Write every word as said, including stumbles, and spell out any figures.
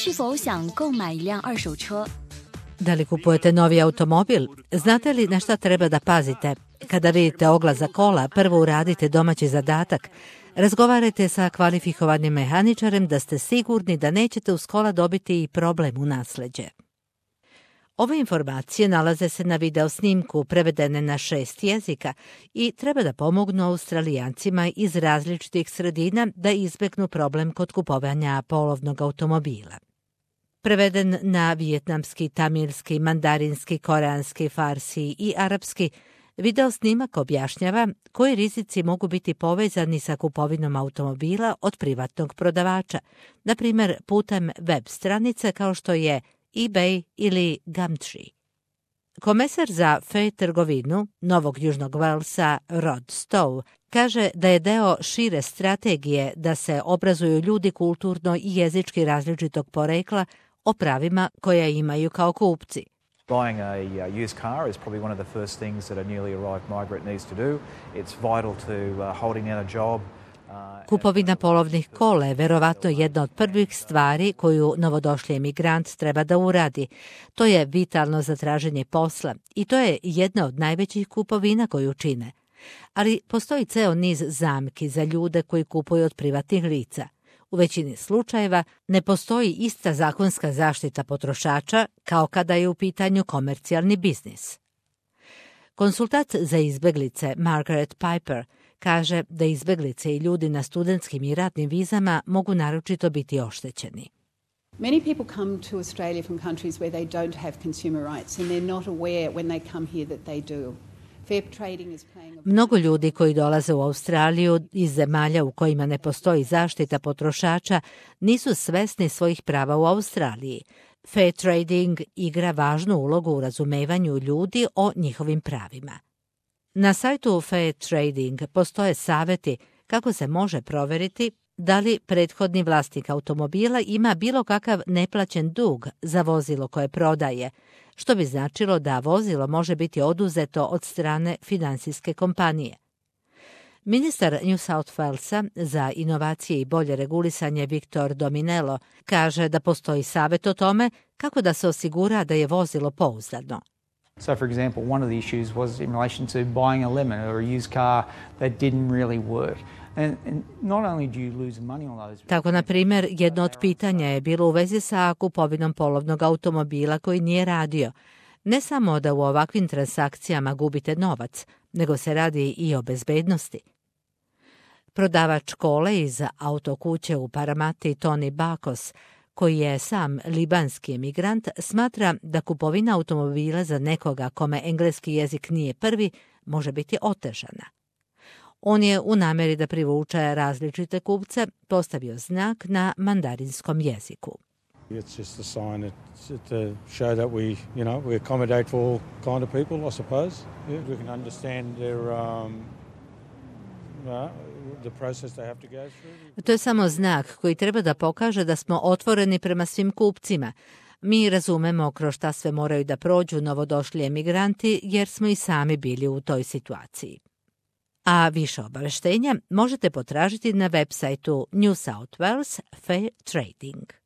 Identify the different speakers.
Speaker 1: 是否想购买一辆二手车？
Speaker 2: Da li kupujete novi automobil? Znate li na šta treba da pazite? Kada vidite oglas za kola, prvo uradite domaći zadatak. Razgovarajte sa kvalifikovanim mehaničarem da ste sigurni da nećete uz kola dobiti i problem u nasleđe. Ove informacije nalaze se na video snimku prevedene na šest jezika i treba da pomognu Australijancima iz različitih sredina da izbegnu problem kod kupovanja polovnog automobila. Preveden na vijetnamski, tamilski, mandarinski, koreanski, farsi i arapski, video snimak objašnjava koji rizici mogu biti povezani sa kupovinom automobila od privatnog prodavača, na primjer putem web stranice kao što je eBay ili Gumtree. Komesar za F trgovinu Novog Južnog Walesa Rod Stowe kaže da je deo šire strategije da se obrazuju ljudi kulturno i jezički različitog porekla o pravima koja imaju kao kupci.
Speaker 3: Buying a uh, used car is probably one of the first things that a newly arrived migrant needs to do. It's vital to uh, holding down a job.
Speaker 2: Kupovina polovnih kola je verovatno jedna od prvih stvari koju novodošli emigrant treba da uradi. To je vitalno za traženje posla i to je jedna od najvećih kupovina koju čine. Ali postoji ceo niz zamki za ljude koji kupuju od privatnih lica. U većini slučajeva ne postoji ista zakonska zaštita potrošača kao kada je u pitanju komercijalni biznis. Konsultant za izbeglice Margaret Piper kaže da izbeglice i ljudi na studentskim i ratnim vizama mogu naročito biti oštećeni.
Speaker 4: Many people come to Australia from countries where they don't have consumer rights and they're not aware when they come here that they do. Fair trading is playing a...
Speaker 2: Mnogo ljudi koji dolaze u Australiju iz zemalja u kojima ne postoji zaštita potrošača nisu svesni svojih prava u Australiji. Fair trading igra važnu ulogu u razumevanju ljudi o njihovim pravima. Na sajtu Fair Trading postoje savjeti kako se može proveriti da li prethodni vlasnik automobila ima bilo kakav neplaćen dug za vozilo koje prodaje, što bi značilo da vozilo može biti oduzeto od strane finansijske kompanije. Ministar New South Walesa za inovacije i bolje regulisanje Victor Dominello kaže da postoji savjet o tome kako da se osigura da je vozilo pouzdano.
Speaker 5: So, for example, one of the issues was in relation to buying a lemon or a used car that didn't really work. And, and not only do you lose money on those...
Speaker 2: Tako, na primjer, jedno od pitanja je bilo u vezi sa kupovinom polovnog automobila koji nije radio. Ne samo da u ovakvim transakcijama gubite novac, nego se radi i o bezbednosti. Prodavač kole iz autokuće u Paramati Tony Bakos, koji je sam libanski emigrant, smatra da kupovina automobila za nekoga kome engleski jezik nije prvi može biti otežana. On je u namjeri da privuče različite kupce postavio znak na mandarinskom jeziku.
Speaker 6: It's just a sign that, to show that we, you know, we accommodate for all kind of people, I suppose. Yeah, we can understand their um, uh, the process they have to go through.
Speaker 2: To je samo znak koji treba da pokaže da smo otvoreni prema svim kupcima. Mi razumemo kroz šta sve moraju da prođu novodošli emigranti jer smo i sami bili u toj situaciji. A više obaveštenja možete potražiti na web sajtu New South Wales Fair Trading.